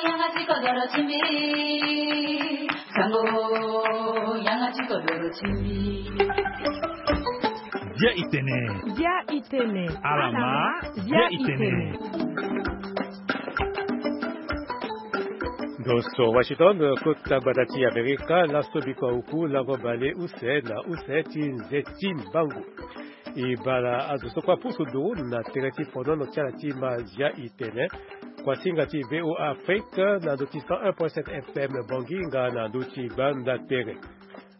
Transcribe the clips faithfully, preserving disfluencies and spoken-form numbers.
Yanga ti kodoro ti mbi. Sango, yanga ti kodoro ti mbi. Dia itene. Dia itene. Alama, dia itene. Ndo so Washington, kota gbata ti Amerika, laso biko auku, lango bale use na use ti nze ti mbangu. E bala azo so kue apusu nduru na tere ti fonono ti ala ti Mazia Itene. Kuasinga ti V O A Afrique na ndö ti cent un point sept F M Bongi nga na ndö ti gbanda tere.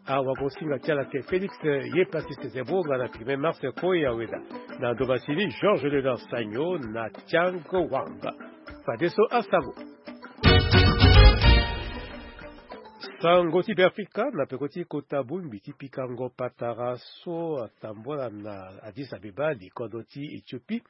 Awagosinga ti ala ke Félix Ye Pasiste Zebo nga na Firmin Mars Koya Weda. Na ndo masini Georges Leonard Sagno na Tiang Wang. Fadeso asango. Sango ti Beafrika na peko ti kota bongbi ti pikango patara so atambula na Addis Abeba, likodro ti Éthiopie.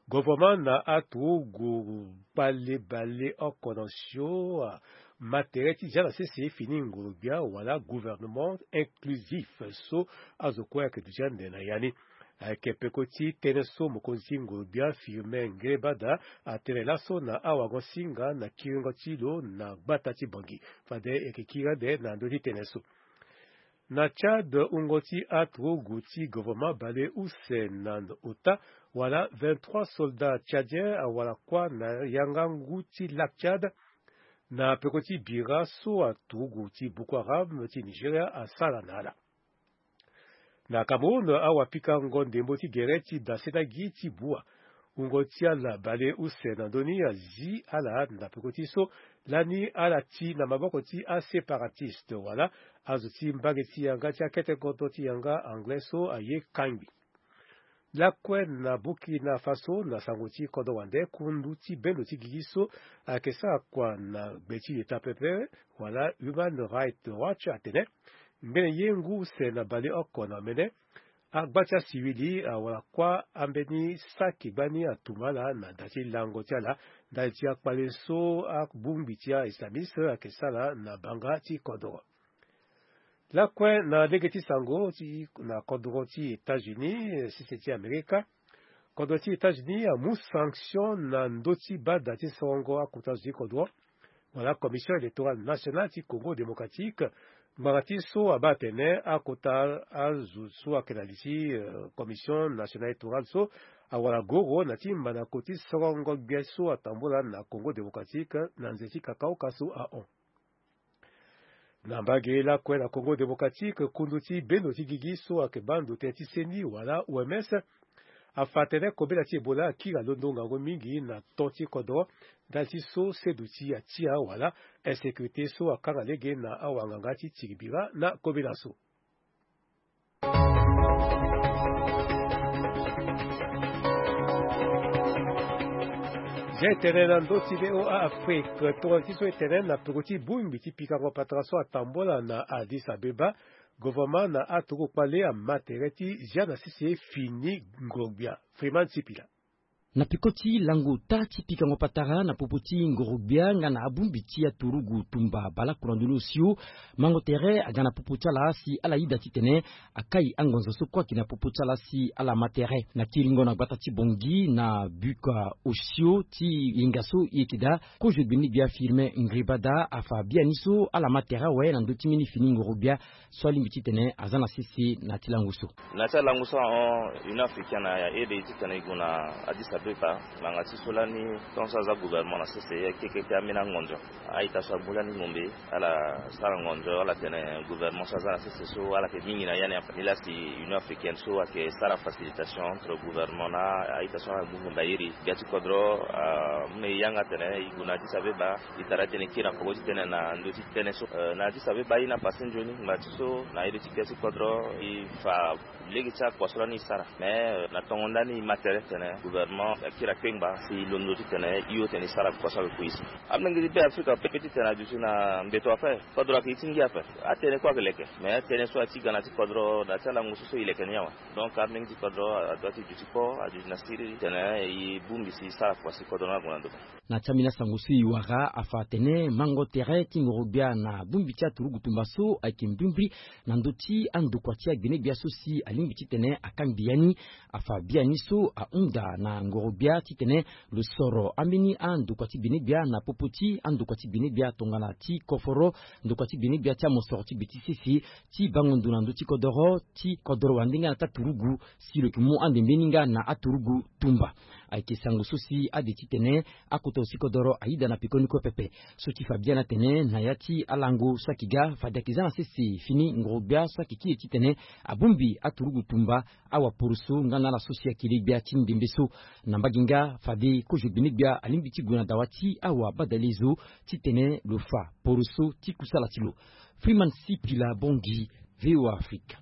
Governement na aturugu kpale bale oko na osio, ah, ma tere ti zia na sese fini ngoro-gbia wala gouvernement inclusif so azo kue ayeke duti ande na ya ni. Ayeke peko ti tënë so mokonzi ti ngoro-gbia Firmin Ngrébada atene laso na awagosinga na kiringo ti lo na gbata ti Bangui. Fade e yeke kiri ande na ndö ti tënë so. Na Tchad, wungo ti aturugu ti gouvernement bale use na ota wala vingt-trois soldats tchadiens awara kuâ na yanga ngu ti Lac Tchad na peko ti bira so aturugu ti Boko Haram ti Nigeria asara na ala. Na Cameroun, awapikango ndembo ti gere ti dase na gi ti bua. Wungo ti ala bale use na ndö ni azi ala na peko ti so lani ala ti na maboko ti aséparatistes wala azo ti mbage ti yanga ti akete kodro ti yanga anglais so aye kangbi. Lakue na Burkina Faso, na sango ti kodro wande, kundu ti bendo ti gigi so ayeke sara kua na gbe ti leta pepe wala Human Rights Watch atene ngbene ye ngu use na bale oko na omene, agba ti asiwili awara kuâ ambeni saki gbani atumba ala na da ti lango ti ala ndali ti akpale so abongbi ti a-islamiste ayeke sara na banga ti kodro. Lakue na lege ti sango ti na kodro ti États-Unis, sese ti Amerika, kodro ti États-Unis amu sanction na ndö ti bada ti sorongo akota zo ti kodro wala Commission électorale nationale ti Congo démocratique. Ngbanga ti so abaa atene akota azo so ayeke na li ti, euh, Commission nationale électorale so awara goro na ti mandako ti sorongo gbia so atambula na Congo démocratique na nze ti kakaoka so ahon. Na mbage lakue na Congo démocratique, kundu ti bendo ti gigi so ayeke baa ndo tënë ti seni wala O M S afa atene kobela ti Ebola akiri alondo ngangu mingi na to ti kodro ndali ti so seduti atia wala insécurité so akanga lege na awanganga ti tiri bira na kobela so. Zia e tene na ndö ti V O A Afrique, tongana ti so e tene na peko ti bongbi ti pikango patara so atambula na Addis Abeba, gouvernement na aturugu kpale ama tere ti zia na sese fini ngoro-gbia. Freeman Sipila. Na peko ti lango ota ti pikango patara na popo ti ngoro-gbia nga na abongbi ti aturugu tumba baleoko na ndoni osio, mango tere aga na popo ti ala si ala yeda titene akai angonzo so kue ayeke na popo ti ala si ala ma tere. Na kiringo na gbata ti Bangui na buka osio ti yenga so e yeke daa, kozo gbeni-gbia Firmin Ngrébada afa biani so ala ma tere awe na ndö ti mbeni fini ngoro-gbia so alingbi titene aza na sese na ti lango so. Na ti alango so ahon, Union Africaine aye ede e titene e gue na Addis Abeba ngbanga ti so lani tongaso aza gouvernement na sese, e yeke keke ambeni angonzo. A-ita so amu lani ngombe, ala sara ngonzo, ala tene gouvernement so aza na sese so ala yeke mingi na ya ni ape. Nilaa si Union Africaine so ayeke sara facilitation entre gouvernement na a-ita so amu ngombe airi gbia ti kodro, amu na e yanga atene e gue na Addis Abeba. E tara titene e kiri na peko ti tene na ndö ti tënë so, eh, na Addis Abeba aye ni apasse nzoni, ngbanga ti so na ere ti gbia ti kodro e fa lege ti akua so lani e sara. Mais, eh, na tongo ndani e ma tere titene gouvernement akiri akpengba si e londo titene e hio titene e sara kua so ayeke kue so. Amolenge ti Beafrika apepe titene aduti na mbeto ape, kodro ayeke ye ti ngia ape. Atënë kue ayeke leke, mais tënë so aye ti ga na ti kodro na ti alango so so e leke ni awe. Donc amolenge ti kodro adoit ti duti kpô, aduti na siriri titene e bongbi si e sara kua si kodro ni ague na ndo. Na ti ambeni asango so e wara afa atene mango tere ti ngoro-gbia na bongbi ti aturugu tumba so ayeke mbrimbri na ndö ti andokua ti agbene-gbia so si alingbi titene akangbi ya ni. Afa biani so ahunda na ngoro Gbia titene lo soro ambeni andokua ti benegbia na popo ti andokua ti benegbia tongana ti koforo, ndokua ti benegbia ti amosoro ti gbe ti sese, ti bango ndo na ndö ti kodoro ti kodoro wande nga na ti aturugu, si lo yeke mu ande mbeni nga na aturugu tumba. Ayeke sango so si ade titene akota zo ti kodoro ayeda na pekoni kue pepe. So ti fa biani atene na ya ti alango so ayeke ga fade ayeke za na sese fini ngoro-gbia so ayeke kiri titene abongbi aturugu tumba, awaporoso nga na ala so si ayeke le gbia ti ndembe so. Na mbage nga fade kozo benegbia alingbi ti gue na dawa ti awabadale zo titene lo fa poroso ti kusala ti lo. Freeman Sipila Bongi, V O A Afrique.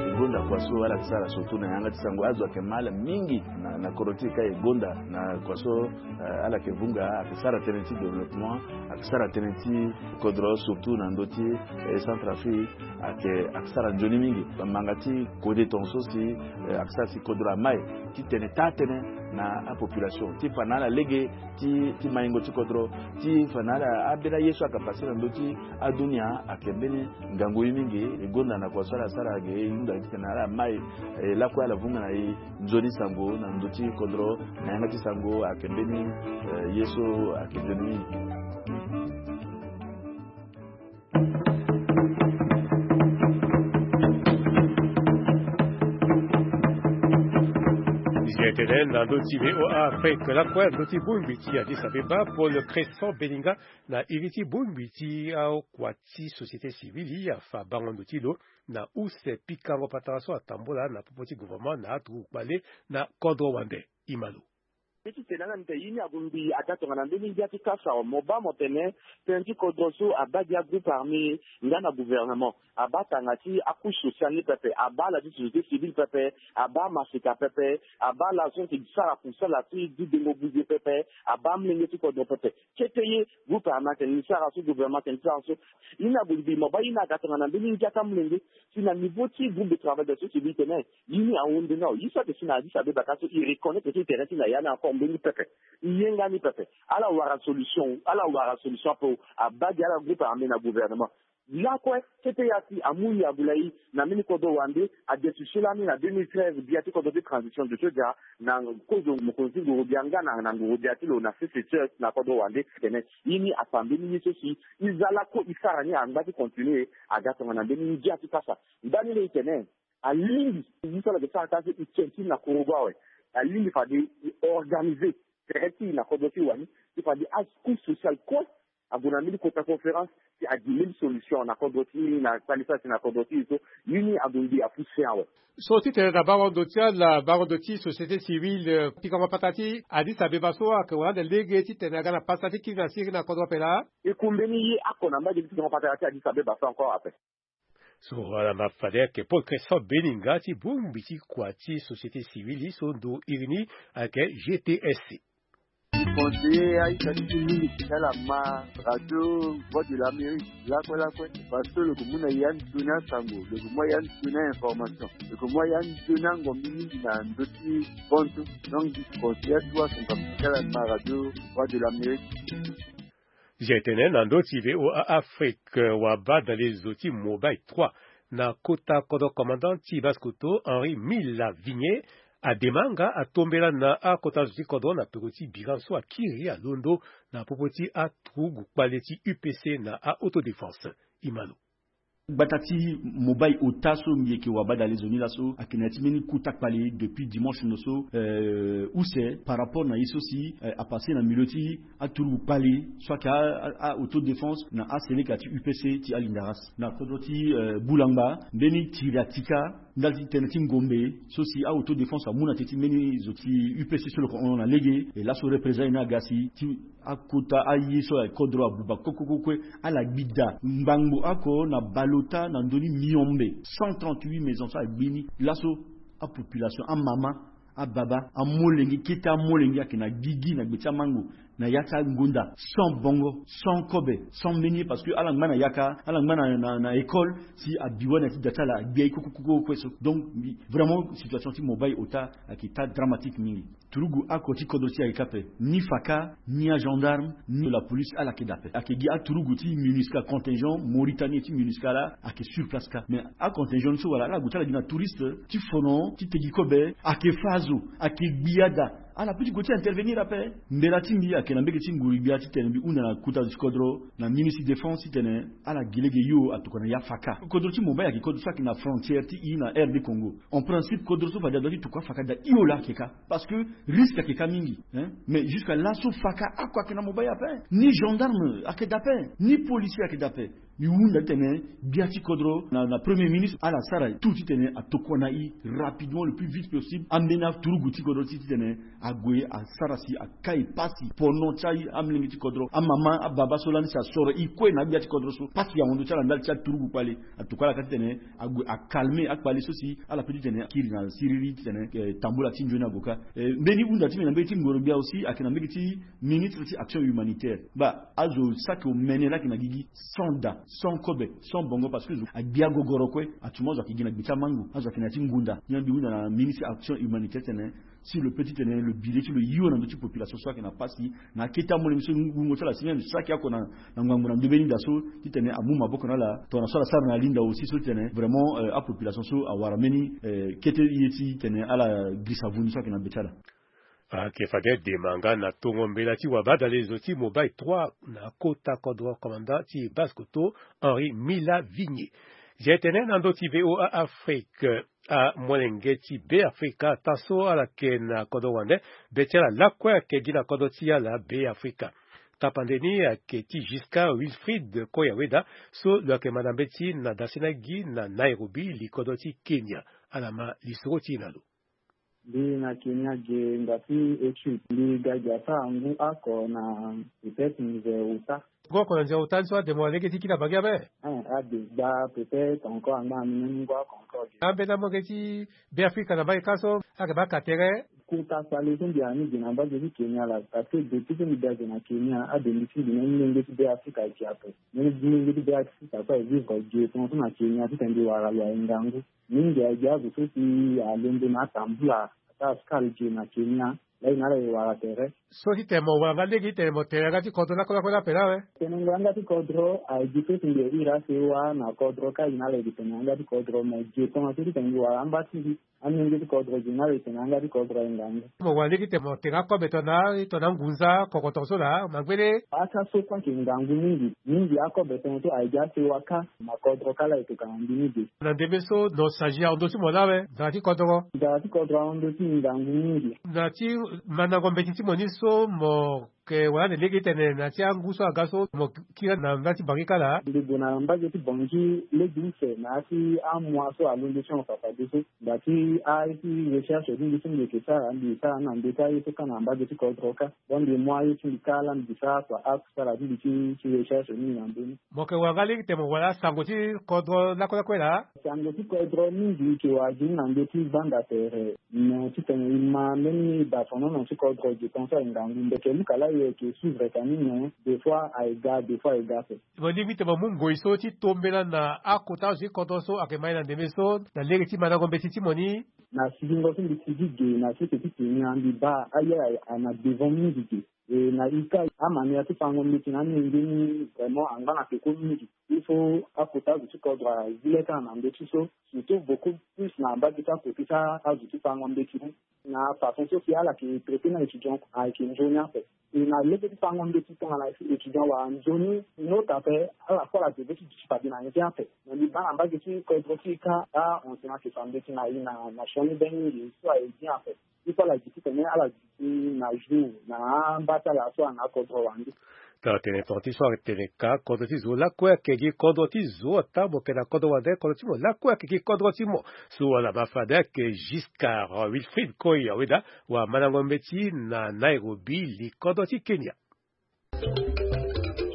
E gonda kua so ala yeke sara surtout na yanga ti sango, azo ayeke ma ala mingi na, na kodro ti e ka e gonda na kua so, eh, ala yeke vunga, ayeke sara tënë ti développement, ayeke sara tënë ti kodro surtout na ndö ti, eh, Centrafrique, ayeke, ayeke sara nzoni mingi. Manga ti kode tongaso si, eh, ayeke sara si kodro amai titene taa tënë na apopulation ti fa na ala lege ti, ti maingo ti kodro, ti fa na ala ambeni aye so ayeke pase na ndö ti adunia, ayeke mbeni ngangu ye mingi. E gonda na kua so ala sara ge e hunda titene ala mai, eh, lakue ala vunga na e nzoni sango na ndö ti kodro, na yanga ti sango ayeke mbeni, eh, ye so ayeke nzoni mingi. Zi etene na ndö ti V O A Afrique lakue ndö ti bongbi ti Addis Abeba, Paul Crescent Beninga, na iri ti bongbi ti akua ti société civile, afa bango ndo ti lo na use pikango patara so atambola na popo ti gouvernement na aturugu kpale na kodro wande. Ima lo. Titene ala ni tene ye ni ague ngbii aga tongana mbeni ngia ti kasa awe. Mo baa mo tene tënë ti kodro so abaa gi agroupe armé nga na gouvernement, abaa tanga ti acouche sociale ni pepe, abaa ala ti société civile pepe, abaa amaseka pepe, abaa ala so ayeke sara kusala ti dudengo buze pepe, abaa amolenge ti kodro pepe. Kete ye groupe armé atene ni sara so, gouvernement atene ni sara so. Ye ni ague ngbii, mo baa ye ni aga tongana mbeni ngia ti amolenge. Si na niveau ti groupe de travail de la société civile tene ye ni ahunde ni awe. Ye so ayeke si na Addis Abeba ka so e reconnaître ti intérêt ti na ya ni encore mbeni pepe. E yenga ni pepe. Ala wara solution, ala wara solution ape. Abaa gi ala groupe armé na gouvernement. Lakue kete ya si amu yagu lai na mbeni kodro wande, adesuse lani na deux mille treize, gbia ti kodro ti transition de soja, na kozo mokonzi ti nguru-gbia nga na, na nguru-gbia ti lo na sese na kodro wande. Tene ye ni afa mbeni ye so si e za lakue e sara ni angba ti continuer, aga tongana mbeni ngia ti kasa. Ndani laa e tene alingbi ye so ala yeke sara ka so e tien ti e na kurugu awe. Alingbi fade e organiser tere ti e na kodro ti e wani, ti fade acouche sociale kue ague na mbeni kota conférence, si agi mbeni solution na kodro ti e, na kpale so asi na kodro ti e so. Ye ni ague ngbii afu sen awe. So titene na bango ndo ti ala, bango ndo ti société civile, pikango patara ti Addis Abeba so ayeke wara ande lege titene aga na pasa ti kiri na siriri na kodro ape laa? E ku mbeni ye oko na mbage ti pikango patara ti Addis Abeba so encore ape. So ala ma fade ayeke Paul Crescent Beninga ti bongbi ti kua ti société civile so ndo iri ni ayeke G T S C. Ti conseiller aita ti ti mingi ti ala ma radio Voix de l'Amérique lakue lakue, parce que lo yeke mu na e ya nzoni asango, lo yeke mu a e ya nzoni a-information, lo yeke mu a e ya nzoni angombi mingi na ndö ti bantu. Donc ti conseiller atuwa son kapa ti ala ma radio Voix de l'Amérique. Zi etene na ndö ti V O A Afrique, wabadale zo ti Mobile trois na kota kodro commandant ti Basse-Kotto, Henri Mila Vigné, adema nga atombela na akota zo ti kodro na peko ti bira so akiri alondo na popo ti aturugu kpale ti U P C na a-autodéfense. Ima lo. Gbata ti Mobile ota so mbi yeke wabadale zo ni laso ayeke na ya ti mbeni kota kpale depuis dimanche no so, euh, use par rapport na ye so si, euh, apase na milieu ti aturugu kpale so ayeke a, a, a-autodéfense na aseleka ti U P C ti Alindaras. Na kodro ti, euh, Boulangba, mbeni tiri atika ndali ti tënë ti ngombe so si a-autodéfense amu na te ti mbeni zo ti U P C so lo yeke hon na lege, e laso représailles ni aga si ti akota aye so ayeke kodro abuba kue kue kue kue, ala gbi daa ngbangbo oko na bale ota na ndö ni miombe, cent trente-huit maisons so agbi ni. Laso apopulation, amama, ababa, amolenge, kete amolenge ayeke na gigi na gbe ti amango, na ya ti angonda, sans bongo, sans kobe, sans mbeni ye, parce que ala ngba na yaka, ala ngba na, na, na école, si abi wani na ya ti da ti ala, agbi aye kue kue kue kue so. Donc mbi, vraiment situation ti Mobile ota ayeke taa dramatique mingi. Turugu oko ti kodro ti e ayeke kâ ape, ni faka, ni agendarme, ni la police, ala yeke daa ape. Ayeke gi aturugu ti MINUSCA, contingent Mauritanie ti MINUSCA laa ayeke sur place kâ. Mais acontingent ni so wala ala gue ti ala gi na touriste ti fono ti tegi kobe, ayeke fâ azo, ayeke gbia daa. Ala peut ti gue ti intervenir ape. Mbela ti mbi ayeke na mbege ti nguru-gbia titene mbi hunda na kota zo ti kodro, na ministre ti défense titene ala gi lege hio atokua na ya faka. Kodro ti Mumbai ayeke kodro so ayeke na frontière ti e na R D Congo. En principe, kodro so fade adoit ti tokua faka daa hio laa ayeke kâ. Parce que risque ayeke kâ mingi, hein. Mais jusqu'à laso faka oko ayeke na Mumbai ape. Ni gendarme ayeke daa ape, ni policier ayeke daa ape. Mbi hunda titene gbia ti kodro na, na premier ministre ala sara tout titene atokua na e rapidement, le plus vite possible, ambeni aturugu ti kodro ti titene ague asara si akai pasi pono ti amolenge ti kodro, amama, ababa so lani si asoro e kue na agbia ti kodro so. Pasi ahon ndö ti ala ndali ti aturugu kpale. Atokua ala kâ titene ague acalmer akpale so si ala peut titene akiri na siriri titene, eh, tambula ti nzoni ague kâ. Eh, mbeni hunda ti mbi na mbege ti ngoro-gbia aussi ayeke na mbege ti ministre ti action humanitaire. Baa azo saki omene laa ayeke na gigi sans daa, sans kobe, sans bongo, parce que zo agbia gogoro kue. Atu mo azo ayeke gi na gbe ti amangu, azo ayeke na ya ti ngu daa. Ni la mbi hunda na ministre action humanitaire titene si lo peut titene lo bi le ti lo hio na ndö ti population so ayeke na pasi na akete amolenge so wungo ti ala si même saki oko na, na ngbangbo na ndö mbeni daa so titene amu maboko na ala tongana so ala sara na linda aussi so titene vraiment, euh, apopulation so awara mbeni, euh, kete ye titene ala girisa vundu so ayeke na be ti ala. Ayeke fade dema nga na tongo mbela ti wabadale zo ti Mobile trois na kota kodro, commandant ti Basse-Kotto Henri Mila Vigné. Zia e tene na ndö ti V O A Afrique, amolenge ti Beafrika taa so ala yeke na kodro wande, be ti ala lakue ayeke gi na kodro ti ala Beafrika. Tapande ni ayeke ti Giscard Wilfried Koyaweda so lo yeke manda mbeti na dasena gi na Nairobi, li kodro ti Kenya. Ala ma lisoro ti e na lo. Mbi na Kenya ge ngba ti étude. Mbi ga gi asara ngu oko na peut-être nze ota. Ngu oko na nze ota ni so ade mo na lege ti kiri na bangi ape? Eh, ade gba peut-être encore angba na mbi même ngu oko encore ge. Ambeni amolenge ti Beafrika na mbage kâ so ayeke baa ka tere. Kota sale so mbi na ni ge na mbage ti Kenya laa, parce que depuis so mbi ga ge na Kenya, abengbi ti mbi na amolenge ti Beafrika ayeke ape. Mbeni amolenge ti Beafrika so aye vivre ge tongaso na Kenya titene mbi wara lo aye ngangu. Mingi ayeke gi azo so si alondo na atambula ata askal ge na Kenya. Laa e na ala e wara tere. So titene mo wara nga lege titene mo tene yanga ti kodro lakue lakue ni ape laa awe? Tene yanga ti kodro ayeke gi so si mbi ye iri asewa na kodro kâ, e na ala e tene yanga ti kodro, me ge tongaso titene mbi wara amba ti mbi. Amolenge ti kodro ge na ala e tene yanga ti kodro aye ngangu. Mo wara lege titene mo tene akobe tongana, tongana ngunza kokoto so laa mangbele. Aka so kue ayeke ngangu mingi. Mingi akobe tongana so ayeke gi asewa kâ. Na kodro kâ laa e tokua na mbi ni ge. Na ndembe so no change ahon ndö ti mo laa awe? Nzara ti kodro. Nzara ti kodro ahon ndö ti mbi ngangu mingi. Na ti mandango mbeti ti mo ni so mo yeke wara ande lege titene na ya ti angu so aga so mo kiri na ndali ti Bangui kâ laa? Mbi gue na mbage ti Bangui lege use na ya ti amois so alondo ti hon fadeso. Nda ti aye ti recherche ti mbi so mbi yeke sara, mbi sara ni na ndö ti aye so kâ na mbage ti kodro kâ. Donc mbi mu aye ti mbi kâ laa mbi sara kua akusala ti mbi ti, ti recherche ni na ndö ni. Mo yeke wara nga lege titene mo wara sango ti kodro lakue lakue laa? Sango ti kodro mingi e yeke wara gi ni na ndö ti gbanda tere. Me titene e ma mbeni dafonono ti kodro ge tongaso aye ngangu. Mbi yeke luka laa e yeke suivre ka ni, me des fois aye ga, des fois aye ga ape. Mo lingbi titene mo mu ngoi so ti tombela na akota azo ti kodro so ayeke ma e na ndembe so na lege ti mandango mbeti ti mo ni? Na sigingo so mbi sigi ge na sese ti Kenya, mbi baa aye aye na devant mingi ge. E na e kâ, amanière ti fango mbeti na amolenge ni vraiment angba na peko mingi. Il faut akota azo ti kodro azi le kâ na ndö ti so, surtout beaucoup plus na mbage ti akota ti azo ti fango mbeti ni. Na façon so si ala yeke traiter na étudiant ayeke nzoni ape. E na lege ti fango mbeti tongana étudiant wala nzoni ni ota ape, ala kue ala devait ti duti fade na nze ape. Me mbi baa na mbage ti kodro ti e kâ, ahon si na yeke fa mbeti na e na, na sioni be mingi so aye bien ape. Ti so ala gi titene ala gi ti na jour na amba ti ala so ana akodro wande. Tara tene tonga ti so atene ka kodro ti zo lakue ayeke gi kodro ti zo. Ata mo yeke na kodro wande, kodro ti mo lakue ayeke gi kodro ti mo. So ala ma fade ayeke Giscard Wilfried Koyaweda, wamandango mbeti na Nairobi, li kodro ti Kenya.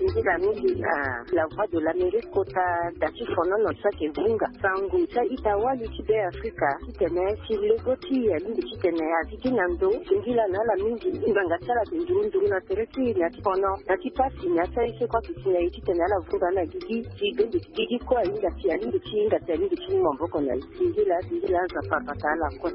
Nzila mingi na La Voix de l'Amérique kota da ti fonono so ayeke vunga. Sango ti a-ita wali ti Beafrika titene si lego ti e alingbi titene azi gi na ndo, singila na ala mingi. Ngbanga ti ala ayeke nduru nduru na tere ti e, na ti fono, na ti pasi, na ti aye so kue ayeke si na e titene ala vunga na gigi. Si bende ti gigi kue ahinga si alingbi ti hinga si alingbi ti mu maboko na e. Singila, singila, Nzapa abata ala kue.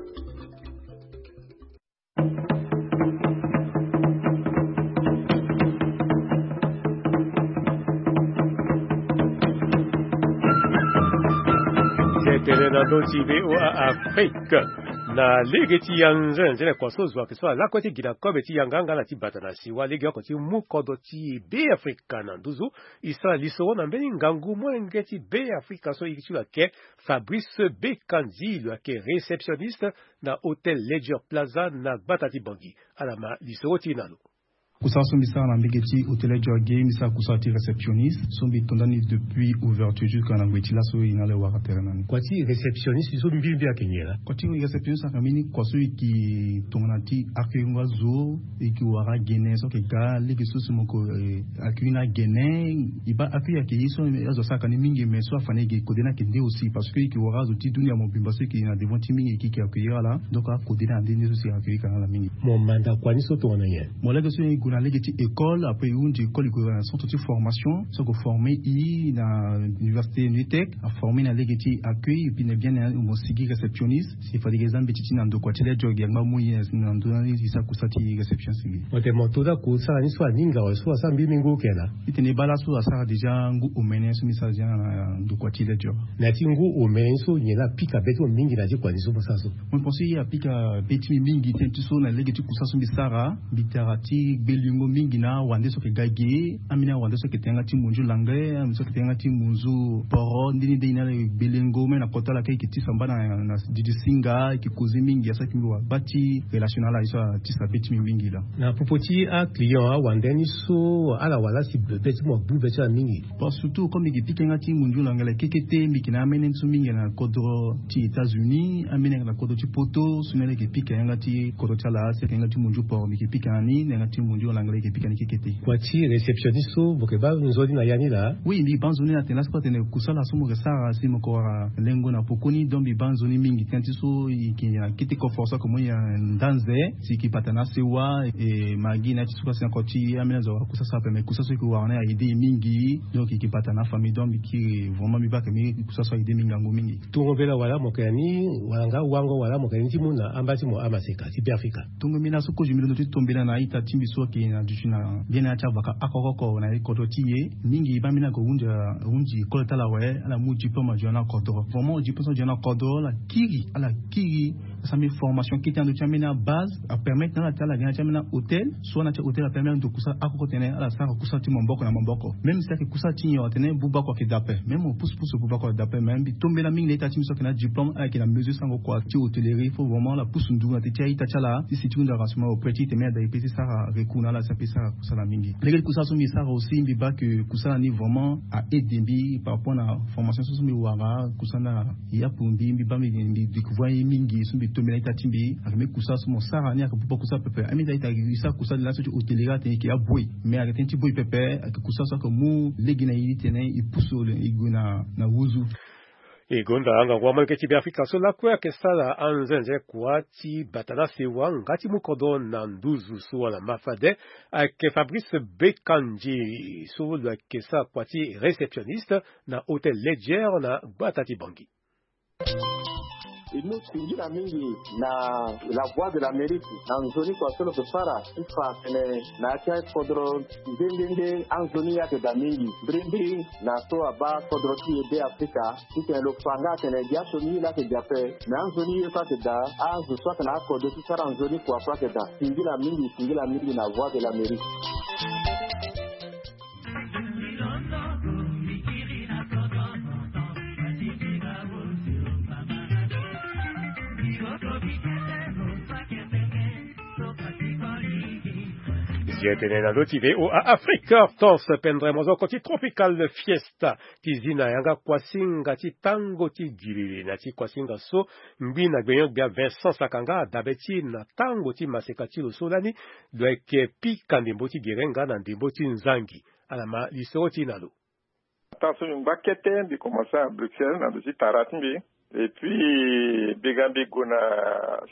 Na ndö ti VOA Afrique, na lege ti yanzenze na kua so zo ayeke so ala lakue ti gi na kobe ti yanga nga na ti bata na siwa legeoko ti mu kodro ti Beafrika na nduzu. E sara lisoro na mbeni ngangu molenge ti Beafrika so e ti lo ayeke Fabrice Bekanzi, lo ayeke réceptionniste na hôtel Ledger Plaza na gbata ti Bangui. Ala ma lisoro ti e na lo. Kusala so mbi sara na mbege ti hôtel Ledger ge, mbi sara kusala ti réceptionniste so mbi to ndani depuis ouverture jusqu'à na ngoi ti laso e na ala e wara tere na ni. Kua ti réceptionniste so mbi mbi ayeke nyen laa? Kua ti réceptionniste ayeke mbeni kua so e yeke tongana ti accueillir azo, e yeke wara gene so ayeke ga lege so si mo yeke, eh, accueillir na gene. E baa accueillir ayeke ye so azo asara ka ni mingi, mais so afa ni e yeke kode ni ayeke nde aussi, parce que e yeke wara azo ti dunia mobimba so e yeke na devant ti mingi e yeke accueillir ala. Donc akode ni ande nde so si e accueillir ka na ala mingi. Mo manda kua ni so tongana nyen? Mo lege so e gue na lege ti école, après e hunzi école e gue na centre ti formation so ayeke former e na université Nutec, aformer e na lege ti accueil, e pine bien na mo sigi réceptionniste. Si fade e yeke za mbeti ti na ndo kua ti Ledger ge angba mu e na ndo ni e sara kusala ti réceptionniste ge. Mo tene mo to daa kusala ni so aninga awe so asara mbi mingi oke laa? E tene e baa laso asara déjà ngu omene so mbi sara déjà na ndo kua ti Ledger. Na ya ti ngu omene ni so nyen laa apika be ti mo mingi na ya ti kua ni so mo sara so? Mo pense ye apika be ti mbi mingi tënë ti so na lege ti kusala so mbi sara, mbi tara ti gbelengo mingi na awande so ayeke ga ge, ambeni awande so ayeke tene yanga ti monzu langue, ambeni so ayeke tene yanga ti monzu poro, nde ni nde e na ala e gbelengo même na kota ala kâ e yeke tisa mbana na didi singa, e yeke causer mingi, asara ti mbi wara gba ti relation na ala, ye so atisa be ti mbi mingi laa. Na popo ti aclient awande ni so ala wara laa si be ti mo abu be ti ala mingi? Bon, surtout comme mbi yeke pika yanga ti monzu langue kekete, mbi yeke na amene so mingi na kodro ti États-Unis, amene na kodro ti Poto, so ni ala yeke pika yanga ti kodro ti ala si ayeke yanga ti monzu poro, mbi yeke pika na ni, na yanga ti monzu langue e yeke pika ni kekete. Kua ti réceptionniste so mo yeke baa nzoni na ya ni laa? Oui, mbi baa nzoni atene laa so atene kusala so mo yeke sara si mo yeke wara lengo na pokoni, donc mbi baa nzoni mingi tënë ti so e yeke na kete koforo so ayeke mo nda nze si e yeke bata na asewa, e ma gi na ya ti so kasi na kua ti ambeni azo awara kusala so ape, mais kusala so e yeke wara ni a aider e mingi. Donc e yeke bata na afamille, donc mbi kiri vraiment mbi baa ayeke kusala so a aider mbi ngangu mingi. Tongo mbela wala mo yeke na ni wala nga wango wala mo yeke na ni ti mu na amba ti mo amaseka ti Beafrika? Tongo mbi na so kozo mbi londo ti to mbela na a-ita ti mbi so ayeke na duti na mbeni ya ti avaka oko oko na kodro ti e. Mingi baa mbi ni ayeke hunzi hunzi école ti ala awe, ala mu diplôme azo na kodro. Vraiment diplôme so azo na kodro ala kiri, ala kiri. Asara mbi formation kete na ndö ti ambeni abase, apermettre na ala ti ala yeke na ya ti ambeni ahôtel, soit na ya ti ahôtel apermettre ndo kusala oko oko tene ala sara kusala ti maboko na maboko. Même si ayeke kusala ti nyen atene bubako ayeke daa ape, même mo pusu pusu bubako ayeke daa ape, mais mbi to mbela mingi na a-ita ti mbi so ayeke na diplôme, ala yeke na mesure sango kua ti hôtellerie. Il faut vraiment ala pusu nduru na te ti a-ita ti ala ti si ti hunzi renseignement auprès ti e tene mbi ada e peut ti sara recours na ala si ape sara kusala mingi. Lege ti kusala so mbi sara aussi mbi baa que kusala ni vraiment a aider mbi par rapport na formation so so mbi wara, kusala ni a yapu mbi, mbi baa mbi, mbi découvrir ye mingi so mbi to mbi na a-ita ti mbi. Ayeke mbeni kusala so mo sara ni ayeke buba kusala pepe. Ambeni a-ita e sara kusala ni laso ti hôtellerie atene e yeke aboue, mais ayeke tënë ti boue pepe, ayeke kusala so ayeke mu lege na e ti tene e pusu e gue na, na wuzu. E gonda angangu amolenge ti Beafrika so lakue ayeke sara anzenze kua ti bata na sewa nga ti mu kodro na nduzu so wala ma fade. Ayeke Fabrice Bekanzi so lo ayeke sara kua ti réceptionniste na hôtel Ledger na gbata ti Bangui. E mu singila mingi na La Voix de l'Amérique na nzoni kua so lo yeke sara ti fa atene na ya ti akodro nde nde nde anzoni ye ayeke daa mingi. Mbirimbiri na so abaa kodro ti e Beafrika titene lo fa nga atene gi asioni ye laa ayeke daa ape. Me anzoni ye so ayeke daa, azo so ayeke na akodro ti sara nzoni kua so ayeke daa. Singila mingi, singila mingi na Voix de l'Amérique. Zi etene na ndö ti VOA Afrique, Hortense Pendre, mozoko ti Tropical Fiesta, ti zi na yanga kuasinga ti tango ti gilili. Na ti kuasinga so, ngbi na gbenyo-gbia Vincent Sakanga adabe ti e na tango ti maseka ti lo so lani lo yeke pika ndembo ti gere nga na ndembo ti nzangi. Ala ma lisoro ti e na lo. Ataa so mbi ngba kete, mbi komanse na Bruxelles na ndo ti tara ti mbi. Et puis, mbi ga mbi gue na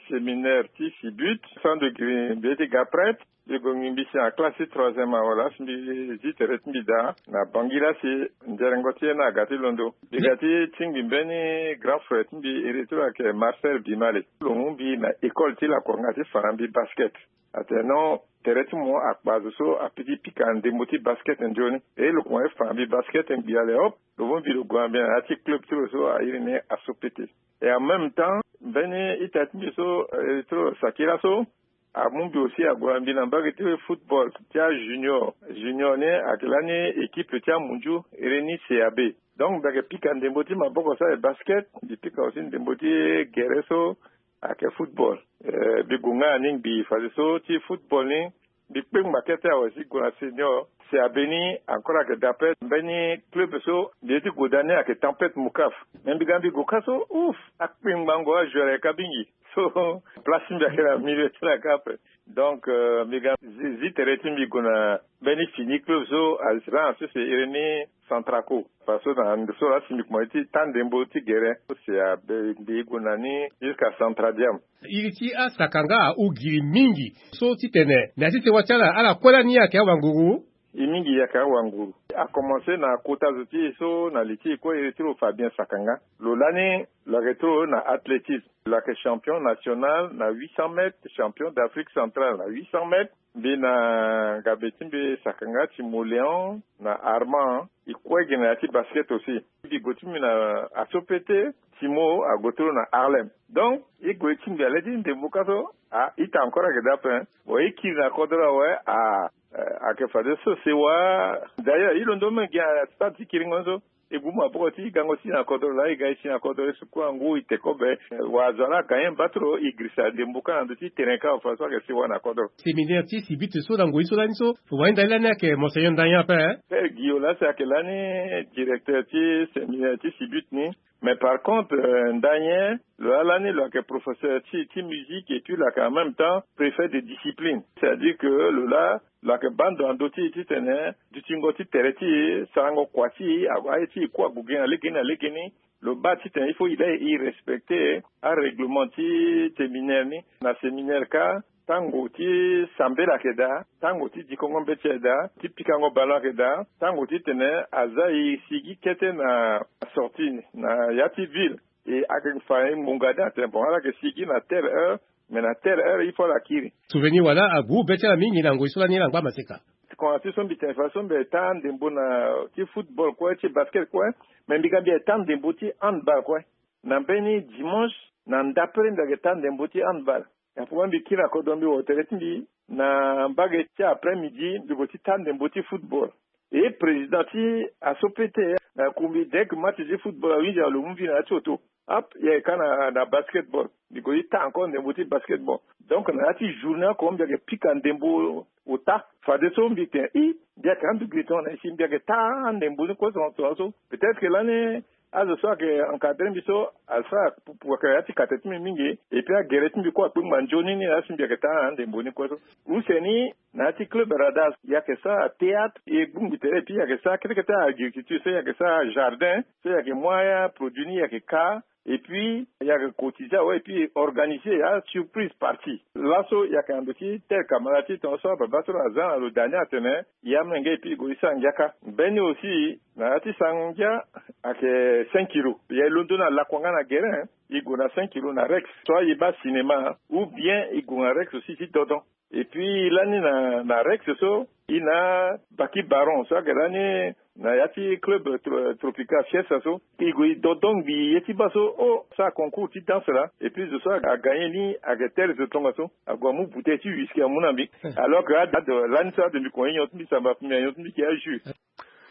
séminaire ti Sibut, so ando gi mbi ye ti ga prêtre. Mbi gue ngbi mbi si na classe ti troisième awe laa si mbi zi tere ti mbi daa na bangi laa si nzerengo ti ye ni aga ti londo. Mbi ga ti tingbi mbeni grand frère ti mbi iri ti lo ayeke Marcel Bimale. Lo mu mbi na école ti lakuanga ti fa na mbi basket. Atene non, tere ti mo akpa zo so apiki pika ndembo ti basket nzoni. E lo koma ti fa na mbi basket ngbi ale hop. Lo mu mbi lo gue na mbi na ya ti club ti lo so airi ni Asopete. Et en même temps mbeni ita ti mbi so iri ti lo Sakira so amu mbi aussi ague na mbi na mbage ti football ti ajunior. Junior ni ayeke lani équipe ti amunzu iri ni C A B. Donc mbi ayeke pika ndembo ti maboko so ayeke basket, mbi pika aussi ndembo ti gere so ayeke football. Eh, mbi gue nga na ni ngbii fadeso ti football ni mbi kpengba kete awe si gue na senior. Si abeni encore ayeke daa ape mbeni club so mbi ye ti gue daa ni ayeke Tempête Mokaf. Mais mbi ga mbi gue kâ so ouf, akpengbango ajoueur ayeke kâ mingi. So place ti mbi ayeke na milieu ti na kâ ape. Donc euh, mbi ga zi, zi tere ti mbi gue na mbeni fini club so a rend so si iri ni Centraco. Parce que na ndo so laa si mbi kuma ye ti taa ndembo ti gere so si abe mbi gue na ni jusqu'à Centradiam. Iri ti asakanga ahon giri mingi so titene na ya ti sewa ti ala, ala kue lani ayeke awanguru. E mingi ayeke awanguru. Akomanse na kota zo ti e so na li ti e kue iri ti lo Fabien Sakanga. Lo lani lo yeke ti lo na athlétisme. Lo yeke champion national na huit cents mètres, champion d'Afrique centrale na huit cents mètres. Mbi na ngabe ti mbi Sakanga, Timo Léon na Armand, e kue gi na ya ti basket aussi. Mbi gue ti mbi na Asopete, Timo ague ti lo na Harlem. Donc e gue ti mbi ale ti ndembo kâ so, ah, ita encore ayeke daa ape. Bon, e kiri na kodro awe, ah, eh, ayeke fadeso sewa. D'ailleurs e londo même gi na stade ti kiringo ni so. E gue maboko ti e gango ti e na kodro laa, e ga e si na kodro, e suku angu, e te kobe. Wa azo ala agagné mba ti lo, e girisa ndembo kâ na ndö ti terrain kâ, fadeso ayeke sewa na kodro. Séminaire ti Sibut so na ngoi so lani so, wahinda ni lani ayeke Monseigneur Ndanya ape, eh? Père Guillot laa si ayeke lani directeur ti séminaire ti Sibut ni. Mais par contre euh, Ndanya lo laa lani lo yeke professeur ti, ti musique et puis lo yeke en même temps préfet de discipline. C'est-à-dire que lo laa lo yeke baa ndo na ndö ti e titene dutingo ti tere ti e, sarango kua ti e, aye ti e kue ague gi na legeni na legeni. Lo baa titene il faut e laa e respecter arèglement ti séminaire ni. Na séminaire kâ, tango ti sambela ayeke daa, tango ti dikongo mbeti ayeke daa, ti pikango ballon ayeke daa, tango titene aza e sigi kete na sortie na ya ti ville. E ayeke fa e ngbonga daa atene bon, ala yeke sigi na telle heure, mais na telle heure il faut ala kiri. Souvenir wala agu be ti ala mingi na ngoi so lani ala ngba maseka. Koma ti so mbi tene fadeso mbi taa ndembo na ti football kue, ti basket kue. Mais mbi ga mbi taa ndembo ti handball kue. Na mbeni dimanche na ndapere mbi yeke taa ndembo ti handball. Apupa mbi kiri na kodro mbi wo tere ti mbi na mbage ti après midi mbi gue ti taa ndembo ti football. E président ti Asopete, eh, akumbi dek match ti football awinzi alo mu mbi na ya ti oto. Ap, e yeke kâ na, na basketball. Mbi gue ti taa encore ndembo ti basketball. Donc na ya ti journée oko mbi yeke pika ndembo ota. Fadeso mbi tene i, mbi yeke andu giri tongana nyen si mbi yeke taa ndembo ni kue so, tongana so. Peut-être que lani azo so ayeke encadrer mbi so asara pupu ayeke ya ti kate ti mbi mingi. Et puis agere ti mbi kue akpengba nzoni ni laa si mbi yeke taa ndembo ni kue so. Use ni na ya ti club Radar e yeke sara théâtre, e gbongbi tere, et puis e yeke sara kete kete agriculture, so e yeke sara jardin, so e yeke mu aproduit ni e yeke kâ. Et puis e yeke cotiser awe, et puis e organiser asurprise party. Laso e yeke na ndo ti tel camarade ti tongana so ababa so lo aza na lo daa ni atene e amolenge, et puis e gue ti sara ngia kâ. Mbeni aussi na ya ti sarango ngia ayeke cinq kilos. E londo na lakuanga na gere, e gue na cinq kilos na Rex. Soit e baa cinéma ou bien e gue na Rex aussi ti dodon. Et puis lani na, na Rex so, e na Baki Baron so ayeke lani na ya ti club tro-, Tropical Fiesta so. E gue e dodon ngbii ye ti baa so, oh, sara concours ti danse laa. Et puis zo so agagné ni ayeke tere zo tongaso. Ague amu bouteille ti whisky amu na mbi. Alors que ado, lani so ado mbi koma ti nyon ti mbi samba, mbi na nyon ti mbi yeke ya jus.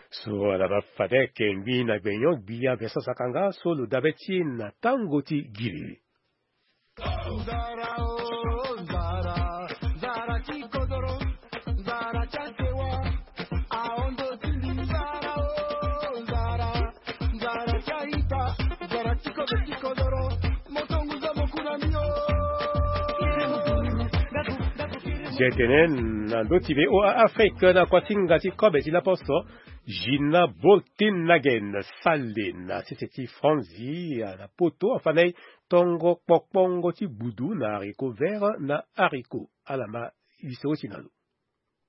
So ala baa fade ayeke ngbii na gbenyo, ngbii ya Vincent Sakanga so lo dabe ti e na tango ti giriri. Nze tene na ndö ti V O A Afrique na kuasinga ti kobe ti laposo, Gina Boltenhagen sali na sese ti Franzi na poto afa na e tongo kpokpongo ti gbudu na haricot vert na haricot. Ala ma lisoro ti na lo.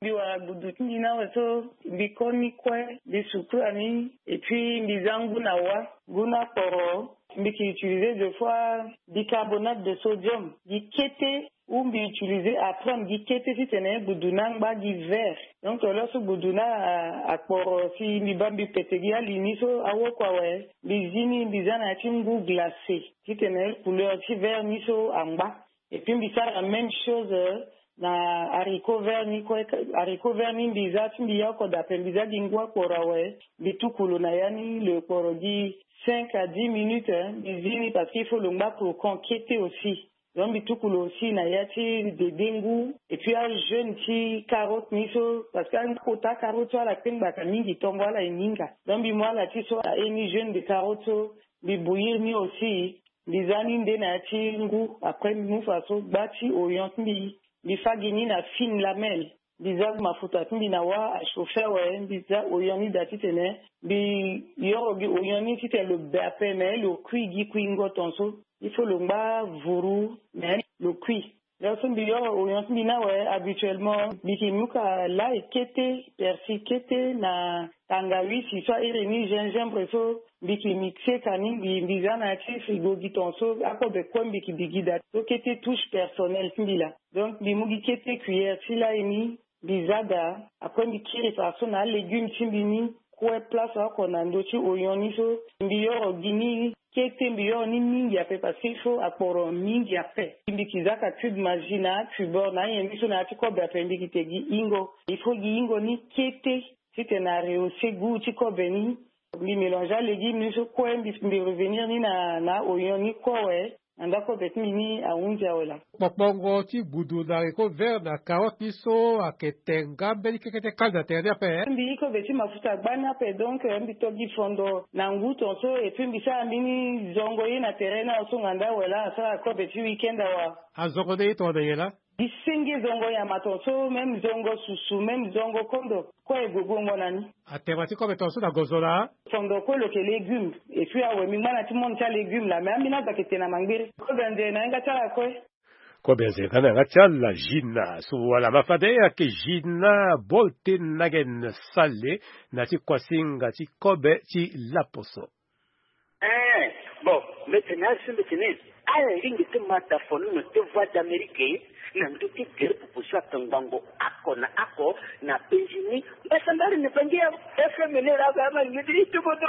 Mbi wara gudu ti mbi ni awe so, mbi koni kue, mbi sukula ni, et puis mbi za ngu na wa, ngu na kporo. Mbi ke utiliser deux fois bicarbonate de sodium gi kete, ou mbi utiliser, après mbi gi kete titene gudu ni angba gi vert. Donc lo so gudu ni a, akporo, si mbi baa mbi pete gi ali ni so awoko awe, mbi zi ni, mbi za na ya ti ngu glacé titene couleur ti vert ni so angba. Et puis mbi sara même chose, euh, na haricot vert ni kue. Haricot vert ni mbi za ti mbi ya oko daa ape, mbi za gi ngu akporo awe, mbi tuku lo na ya ni, lo kporo gi cinq à dix minutes, hein, mbi zi ni, parce qu'il faut lo ngba croquant kete aussi. Donc mbi tuku lo aussi na ya ti dede ngu. Et puis ajaune ti carotte ni so, parce que akota carotte so ala kpe ngbaka mingi, tongo ala e ninga. Donc mbi mu ala ti so aye ni jaune de carotte so, mbi bouillir ni aussi. Mbi za ni nde na ya ti ngu, après mbi mu fa so gba ti oignon ti mbi, mbi fa gi ni na fine lamelle. Mbi za mafuta ti mbi na wa achauffer awe, mbi za oignon ni daa titene mbi yoro gi oignon ni titene lo be ape, mais lo kui gi kuingo tonso. Il faut lo ngba vuru, mais lo kui. Lo so mbi yoro oignon ti mbi ni awe, habituellement mbi ke mu ka lay kete, persil kete na tangawisi so airi ni gingembre so, mbi ke mixer ka ni, mbi, mbi za na ya ti frigo gi tonso, akobe kue mbi ke bi gi daa. So kete touche personnelle ti mbi laa. Donc mbi mu gi kete cuillère ti lay ni, mbi za daa. Après mbi kiri fa so na alégume ti mbi ni kue place oko na ndö ti oignon ni so, mbi yoro gi ni kete, mbi yoro ni mingi ape, parce que il faut akporo mingi ape. Mbi ke za ka cube Maggi na cubeur na anyen ni so na ya ti kobe ape, mbi ke te gi ingo. Il faut gi ingo ni kete titene arehausser goût ti kobe ni. Mbi mélanger alégume ni so kue, mbi, mbi revenir ni na, na oignon ni kue awe. Na ndako be ti mbi ni ahunzi awe laa. Kpokpongo ti gudu na haricot vert na carotte ni so ayeke te nga mbeni kekete kali na tere ni ape, eh? Mbi iko be ti mafuta gbani ape, donc, eh, mbi to gi fondo na ngu tonso, et puis mbi sara mbeni zongo ye na tere ni awe so nganda awe laa, asara kobe ti week-end awe. Azongo nde ye tongana nyen laa? Gi senge zongo nyama tonso, même zongo susu, même zongo kondo. Kue e gue guengo na ni. Atema ti kobe tonso na gozo laa. Fondo kue lo yeke légume. Et puis awe mbi ngba na ti monde ti alégume laa, mais ambeni azo ayeke te na mangbere. Kobe anze na yanga ti ala kue. Kobe anze nga na yanga ti ala Gina. So wala ma fade ayeke Gina Boltenhagen Sale na ti kuasinga ti kobe ti laposo. Eh, bon, mbi tene asi mbi tene, ala lingbi ti ma da fo ni na ti Voix d'Amérique, na ndö ti gere pupu so atongbango oko na oko na penzi ni. Mbasambari ni bangi ya F M ni la ba ma lingbi ti tubodo.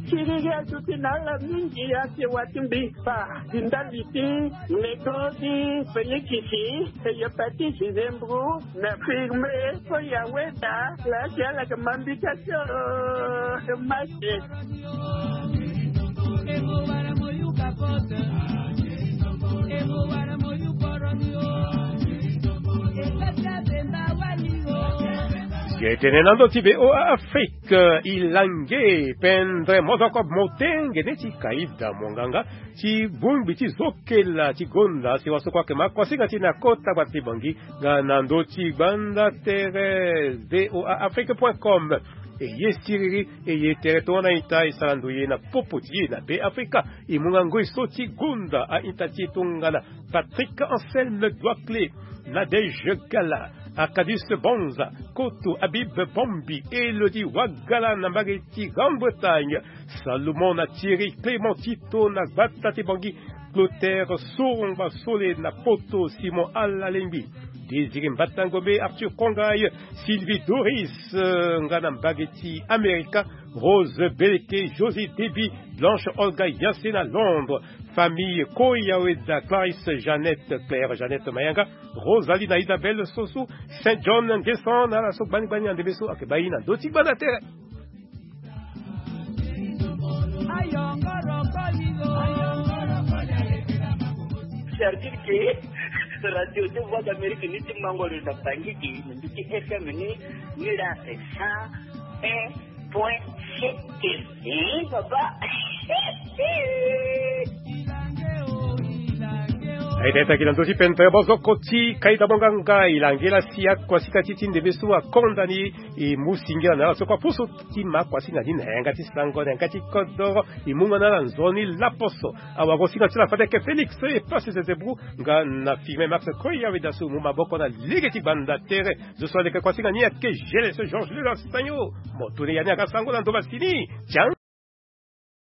Kiriri aduti na ala mingi, asewa ti mbi. Fa ti ndali ti nego ti Félix, hépatite, zembro, na firme, so ya weda la ti ala ke ma mbi ka ti, oh, mate. Ge tene na ndö ti V O A Afrique, e lange pendre mozoko motenge neti kaida monganga ti bongbi ti zokela ti gonda si waso kue ayeke ma kuasinga ti na kota gbata ti Bangui nga na ndö ti gbanda tere V O A Afrique point com. E ye siriri, e ye tere tongana ita e sara ndoye na popo ti e na Be Afrika. E mu nga ngoi so ti gonda a-ita ti e tongana Patrick Anselme Doiclé, Nadège Gala, Arcadius Banza, Koto Habib Bombi, Elodie Wagala na mbage ti Grande-Bretagne, Salomon na Thierry Clément Tito na gbata ti Bangui, Clotaire Sorongba Sole na Poto, Simon Alalengbi, Désiré Mbatangombe, Arthur Kongay, Sylvie Doris, euh, nga na mbage ti Amerika, Rose Beleke, Josie Déby, Blanche Olga Yassé na Londres, famille Koya Weda, Clarisse Jeannette, Claire Jeannette Mayanga, Rosaline Isabelle Sossou, Saint John Nguessan, na ala so gbani gbani na ndembe so ayeke baa e na ndö ti gbanda tere. C'est-à-dire que Radio de Voix d'Amérique ni ti mango lo na Bangui, ni ti F M ni, ni la, eh, ça, eh, Point C T V, papa. Aye, tata, ki na ndö ti pento ya bozoko ti kaita monganga, e langela si akuasika ti ti ndembe so akonda ni, e mu singila na ala so kua poso ti ma akuasika ni na yanga ti sango, na yanga ti kodoro, e mu nga na ala nzoni laposo. Awagosinga ti la fade ayeke Félix, e pasi zezebru nga na firme Max Koya, weda so mu maboko na lege ti gbanda tere. Zo so aleke kuasinga ni ayeke Gélès Georges Lula Stagno. Mo tuni ya ni aga sango na ndo masini. Tian.